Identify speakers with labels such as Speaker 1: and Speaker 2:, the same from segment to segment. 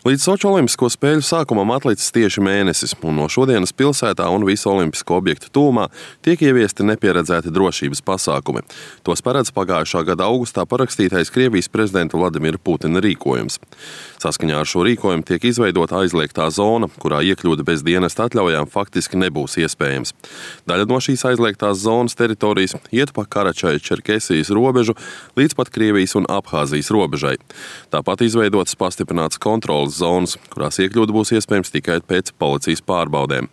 Speaker 1: Līdz Soču olimpisko spēļu sākumam atlicis tieši mēnesis, un no šodienas pilsētā un visu olimpisko objektu tūmā tiek ieviesti nepieredzēti drošības pasākumi. Tos paredz pagājušā gada augustā parakstītais Krievijas prezidenta Vladimira Putina rīkojums. Saskaņā ar šo rīkojumu tiek izveidota aizliegtā zona, kurā iekļūde bez dienesta atļaujām faktiski nebūs iespējams. Daļa no šīs aizliegtās zonas teritorijas iet pa Karačaja-Čerkesijas robežu līdz pat Krievijas un Abhāzijas robežai. Tāpat izveidotas pastiprinātas kontroles zonas, kurās iekļūt būs iespējams tikai pēc policijas pārbaudēm.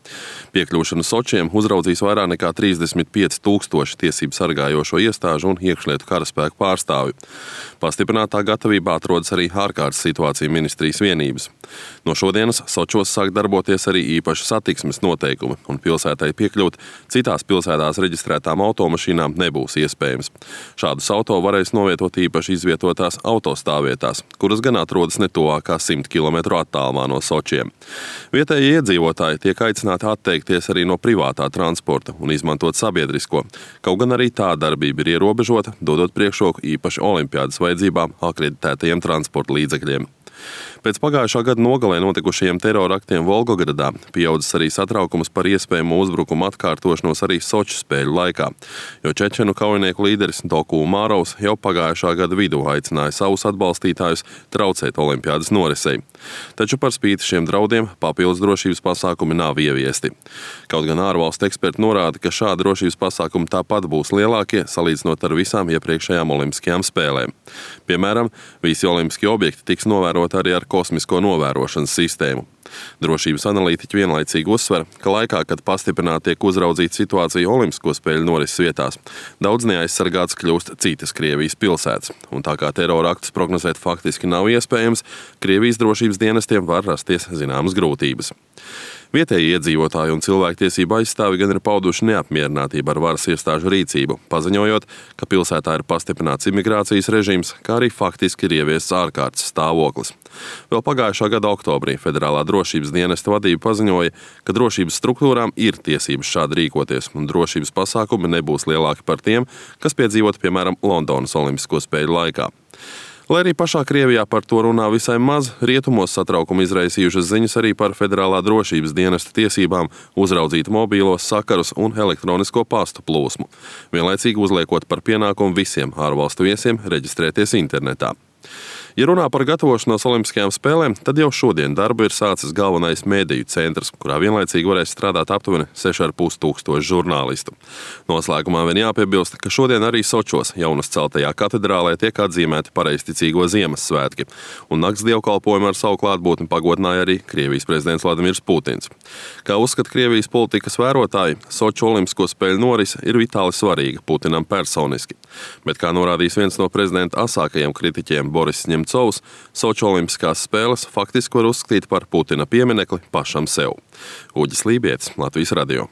Speaker 1: Piekļūšanu Sočiem uzraudzīs vairāk nekā 35,000 tiesību sargājošo iestāžu un iekšlietu karaspēku pārstāvju. Pastiprinātā gatavībā atrodas arī ārkārtas situāciju ministrijas vienības. No šodienas Sočos sāk darboties arī īpaši satiksmes noteikumi, un pilsētai piekļūt citās pilsētās reģistrētām automašīnām nebūs iespējams. Šādus auto varēs novietot īpaši izvietotās autostāvvietās, kuras gan atrodas netuvākā 100 km attālumā no Sočiem. Vietējie iedzīvotāji tiek aicināti atteikties arī no privātā transporta un izmantot sabiedrisko, kaut gan arī tā darbība ir ierobežota, dodot priekšroku īpaši olimpiādas vajadzībām akreditētajiem transporta līdzekļiem. Pēc pagājušā gada nogalē notikušajiem teroraktiem Volgogradā pieaudzis arī satraukums par iespējamo uzbrukumu atkārtošanos arī Soču spēļu laikā, jo čečenu kaujinieku līderis Doku Umarovs jau pagājušā gada vidū aicināja savus atbalstītājus traucēt olimpiādas norisei. Taču par spīti šiem draudiem papildus drošības pasākumi nav ieviesti. Kaut gan ārvalstu eksperti norāda, ka šādi drošības pasākumi tāpat būs lielākie, salīdzinot ar visām iepriekšējām olimpiskajām spēlēm. Piemēram, visi olimpiskie objekti tiks novēroti arī ar kosmisko novērošanas sistēmu. Drošības analītiķi vienlaicīgi uzsver, ka laikā, kad pastiprināti tiek uzraudzīta situācija olimpisko spēļu norises vietās, daudz neaizsargāts kļūst citas Krievijas pilsētas. Un tā kā terora aktus prognozēt faktiski nav iespējams, Krievijas drošības dienestiem var rasties zināmas grūtības. Vietēji iedzīvotāji un cilvēktiesību aizstāvi gan ir pauduši neapmierinātību ar varas iestāžu rīcību, paziņojot, ka pilsētā ir pastiprināts imigrācijas režīms, kā arī faktiski ir ieviests ārkārtas stāvoklis. Vēl pagājušā gada oktobrī Federālā drošības dienesta vadība paziņoja, ka drošības struktūrām ir tiesības šādi rīkoties, un drošības pasākumi nebūs lielāki par tiem, kas piedzīvot, piemēram, Londonas olimpisko spēļu laikā. Lai arī pašā Krievijā par to runā visai maz, rietumos satraukumu izraisījušas ziņas arī par Federālā drošības dienesta tiesībām uzraudzīt mobīlos sakarus un elektronisko pastu plūsmu, vienlaicīgi uzliekot par pienākumu visiem ārvalstu viesiem reģistrēties internetā. Ja runā par gatavošanos olimpiskajām spēlēm, tad jau šodien darbu ir sācis galvenais mēdīju centrs, kurā vienlaicīgi varēs strādāt aptuveni 6,500 žurnālistu. Noslēgumā vien jāpiebilst, ka šodien arī Sočos jaunas celtajā katedrālē tiek atzīmēti pareizticīgo Ziemassvētki, un nakts dievkalpojumu ar savu klātbūtni pagodināja arī Krievijas prezidents Vladimirs Putins. Kā uzskata Krievijas politikas vērotāji, Soču olimpisko spēļu norise ir vitāli svarīga Putinam personiski. Bet, kā norādījis viens no prezidenta asākajiem kritiķiem Boris Ņemcovs, Soču olimpiskās spēles faktiski var uzskatīt par Putina pieminekli pašam sev. Uģis Lībietis, Latvijas radio.